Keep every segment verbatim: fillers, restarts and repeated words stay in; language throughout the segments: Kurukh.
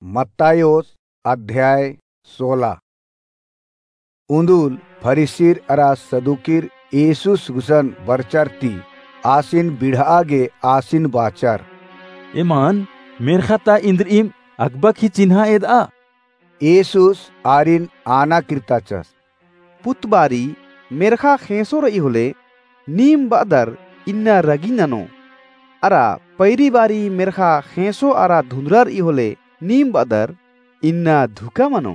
मत्तायोस अध्याय सोला। उन्दुल फरीसीर अरा सदूकीर येसुस गुसन बरचर ती आसिन बिड़हा गे आसिन बाचर, एमन मेर्ख़ा ता इन्द्रिइम अकबक ही चिन्हा एदआ। येसुस आरिन आना किर्ताचस, पुत बारी मेर्ख़ा ख़ेंसो रई होले नीम बअदर, इन्ना रगी ननो। अरा पैरी बारी मेर्ख़ा ख़ेंसो अरा धुन्दरा रई होले नीम बअदर, इन्ना धुका मनो।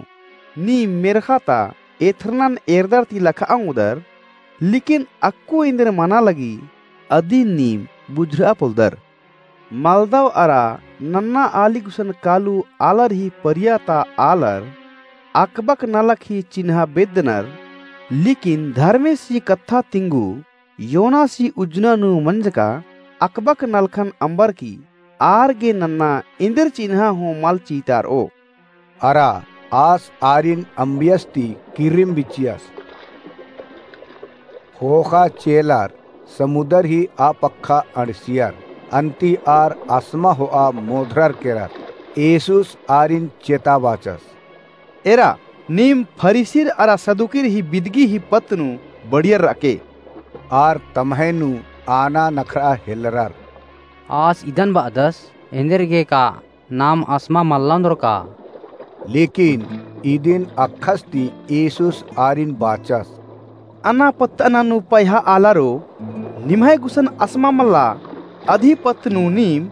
नीम मेर्ख़ा ता एथरनन एरदर ती लखआ ओंगदर, लेकिन अक्कु एन्देर मना लगी अदिन नीम बुझुरआ पोलदर। मलदव अरा नन्ना आली गुसन कालू आलर ही परिया ता आलर अकबक नलख ही चिन्हा बेद्दनर, लेकिन धर्मेस ही कत्था तिंगू योनासी उज्जना नू मंजका अकबक नलखन अम्बर की आर गे नन्ना एन्देर चिन्हा हूँ मल चितारओ। अरा आस आरिन अम्बियस ती किर्रिम बिचियस। ख़ोख़ा चेलर समुदर ही आ पक्खा अंड़सियर, अन्ती आर असमा होआ मोधरर केरर। येसुस आरिन चेता बाचस, एरा, नीम फरीसीर अरा सदूकीर ही बिदगी ही पत्त नू बड़ियर रअके। आर तम्है नू आना नखरआ हेलरर। आस इदन बअदस, एन्देर गे का नाम असमा मल्ला ओन्दर का? लेकिन इदिन अक्खस ती येसुस आरिन बाचस, अना पत्त अना नू पयहा आलारो, निम्है गुसन असमा मल्ला अदी पत्त नू नीम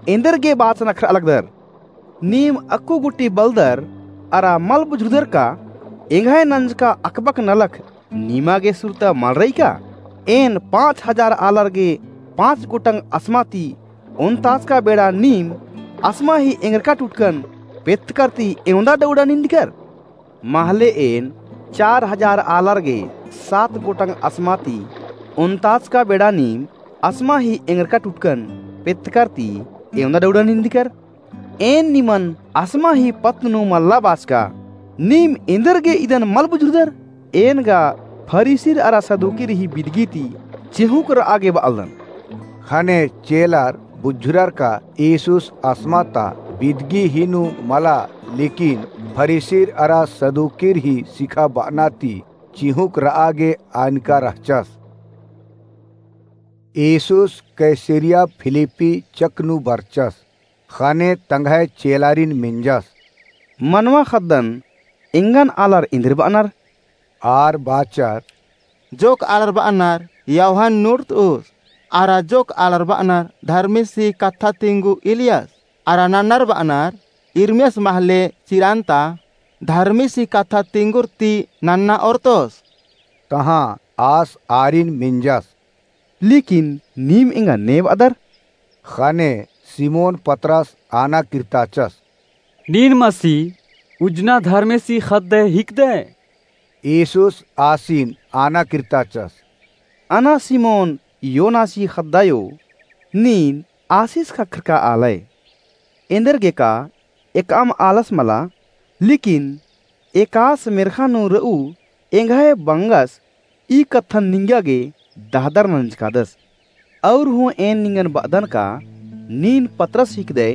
एन्देर गे बाच नखरआ लगदर। नीम अक्कु गूटी बलदर अरा मल बुझुरदर का एंग्है नंजका अकबक नलख नीमा गे सुरता मल रई का? एन पाँच हजार आलर गे पाँच गोटंग असमा ती ओन्ताचका बेड़ा नीम असमा ही एंगरका टुटकन पेत्तकर ती एवंदा डौड़ा निंदकर? महले एन चार हजार आलर गे सात गोटंग असमा ती ओन्ताचका बेड़ा नीम असमा ही एंगरका टुटकन पेत्तकर ती एवंदा डौड़ा निंदकर? एन निमन असमा ही पत्त नू मल्ला बाचका, नीम एन्देर गे इदन मल बुझुरदर? एन गा फरीसीर अरा सदूकीर ही बिदगी ती चिहुँक रआ गे बअलदन। ख़ने चेलर बुझुरर का येसुस असमा ता बिदगी ही नू मला, लेकिन फरीसीर अरा सदूकीर ही सिखाबअना ती चिहुँक रआ गे आनका रहचस। येसुस कैसरिया फिलिप्पी चक नू बरचस। ख़ने तंग्है चेलारिन मेंजस, मनवा ख़द्दन एंगन आलर एन्देर बअनर? आर बाचर, जोक आलर बअनर यूहन्ना नूड़तउस, अरा जोक आलर बअनर धर्मेसी कत्था तिंगु इलियास, अरा नन्नर बअनर इर्मियास महले चिरंता धर्मेसी कत्था तिंगुर ती नन्ना ओर्तोस। तहाँ आस आरिन मेंजस, लेकिन नीम एंगा ने बअदर? ख़ने सिमोन पतरस आना किर्ताचस, नीन मसीह उज्जना धर्मेसी ख़द्दय हिकदय। येसुस आसिन आना किर्ताचस, अना सिमोन योनासी ख़द्दायो, नीन आसिस ख़क्खरका आलय। एन्देर गे का एकअम आलस मला, लेकिन एकास मेर्ख़ा नू रऊ एंग्है बंगस ई कत्थन निंगा गे दहदर नंजकादस। और हूँ एन निंगन बअदन का नीन पतरस हिकदय,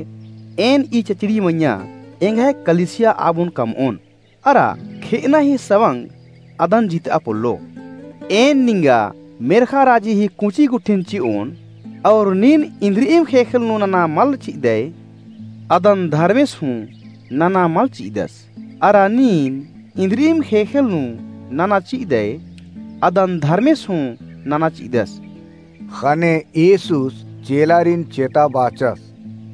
एन ई चचड़ी मइय्याँ एंग्है कलिसिया आबोन कमओन, अरा खेअना ही सवंग अदन जितआ पोल्लो। एन निंगा मेर्ख़ा राजी ही कुँची गुट्ठिन चिओन, और नीन इन्द्रिइम ख़ेख़ेल नू नना मल चिअदय, अदन धर्मेस हूँ नना मल चिअदस। अरा नीन इन्द्रिइम ख़ेख़ेल नू नना चिअदय, अदन धर्मेस हूँ नना चिअदस। ख़ने येसुस चेलारिन चेता बाचस,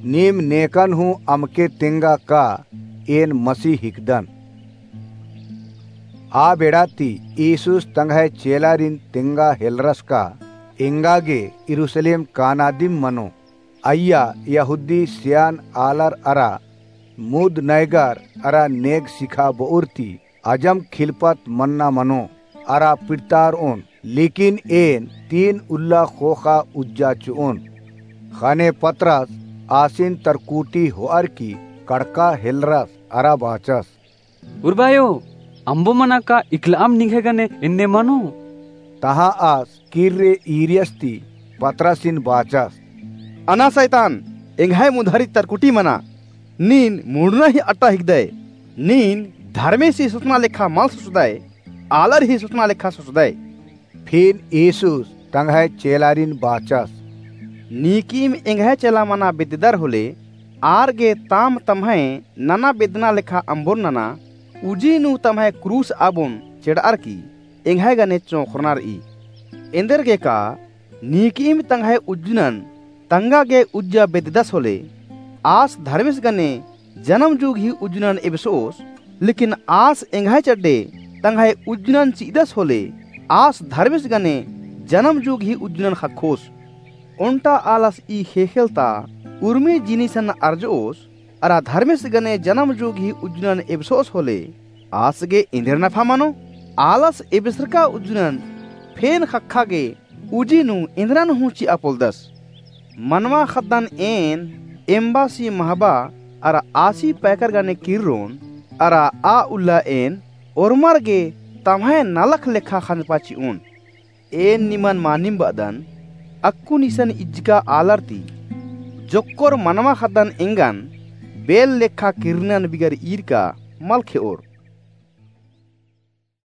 नीम नेकन हूँ अमके तेंगा का एन मसीह हिकदन। आ बेड़ा ती येसुस तंग्है चेलारिन तेंगा हेलरस का एंगा गे यरूसलेम कानादिम मनो। अइय्या यहूदी सियान आलर अरा मुद नैगर अरा नेग सिखाबओर ती अजम खिलपत मन्ना मनो अरा पिड़तारओन, लेकिन एन तीन उल्ला ख़ोख़ा उज्जा चिओन। ख़ने पतरस आसिन तरकुटी होअर की कड़का हेलरस अरा बाचस, उर्बायो, अम्बो मना का इकलाम निंग्है गने एन्ने मनो? तहाँ आस किर्रे ईरियस ती पतरसिन बाचस, अना सैतान, एंग्है मुन्धारी तरकुटी मना। नीन मुड़ना ही अट्टा हिकदय। नीन धर्मेसी सोचना लेखा मल सोचदय, आलर ही सोचना लेखा सोचदय।" फिर यीशुस तंग्है चेलारिन बाचस, "नीकीम एंग्है चेला मना बेद्ददर होले, आर गे ताम तम्है नना बेद्दना लेखा अम्बोन नना, उजी नू तम्है क्रूस आबोन चेड़अर की एंग्है गने चोंख़रना रई। एन्देरगेका नीकीम तंग्है उज्जुनन तंगा गे उज्जा बेद्ददस होले, आस धर्मेस गने जनम जुग ही उज्जुनन एबसोस, लेकिन आस एंग्है चड्डे तंग्है उज्जुनन चि'अदस होले, आस धर्मेस गने जनम जुग ही उज्जुनन ख़क्खोस। ओन्टा आलस ई ख़ेख़ेल ता उर्मी जिनिसन अर्जोस, अरा धर्मेस गने जनम जुग ही उज्जुनन एबसोस होले, आस गे एन्देर नफा मनो? आलस एबसरका उज्जुनन फेन ख़क्खा गे उजी नू एन्दरन हूँ चि'आ पोलदस। मनवा ख़द्दन एन एम्बासी महबा अरा आसी पैकर गने किर्रोन, अरा आ उल्ला एन ओर्मर गे तम्है नलख लेखा ख़ंजपा चि'ओन। एन निमन मानिम ब'अदन, अक्कुन इसन इज्जका आलर ती जोक्कोर मनवा ख़द्दन एंगन बेल लेखा किर्रनन बिगर ईरका मल खे'ओर।"